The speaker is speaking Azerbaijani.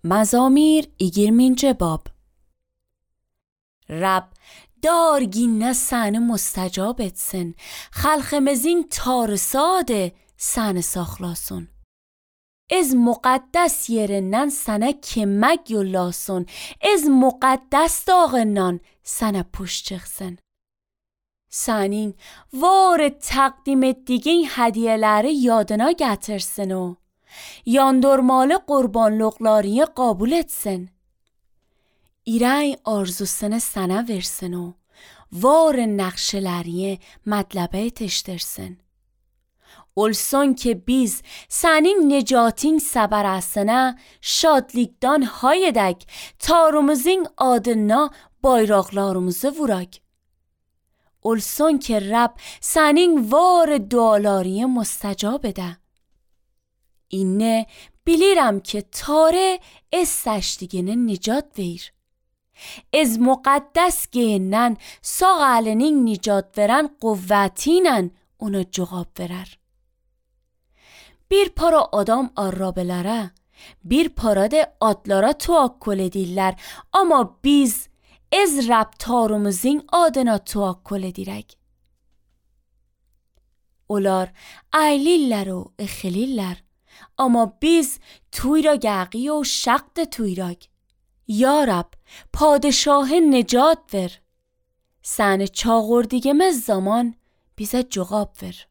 Mezamir 20. bab. Rab darginne seni mustajab etsin. Halkımızın tarsadı seni saxlasın. Ez muqaddas yerinden sana kemek yollasın. Ez muqaddas dağından sana puş çıksın. Senin var takdim ettiğin hediyeleri yadına getirsin o. Yandırmalı qurbanlıqlarını qabul etsin. İrəy arzusunu sana versin o. Var nəqşələrini mətləbə yetişdirsin. Olsun ki biz senin necatin səbərəsinə şadlıqdan hay edək, Tanrımızın adına bayraqlarımızı vuraq. Olsun ki Rab senin var dualarını mustajab edə. İnne bilirəm ki Tanrı ez səçdiyini nicat verir. Ez muqaddas geyindən sağ əlinin nicat verən quvvətiylə ona cavab verər. Bir para adam arabelərə, bir para da atlara tawakkul edirlər, amma biz ez Rab Tanrımızın adına tawakkul edirək. Onlar əylirlər o exilirlər, amma biz tuyragəqi o şaqd tuyrag. Ya Rab, padişah necat ver. Səni çağırdığımız zaman bizə cavab ver.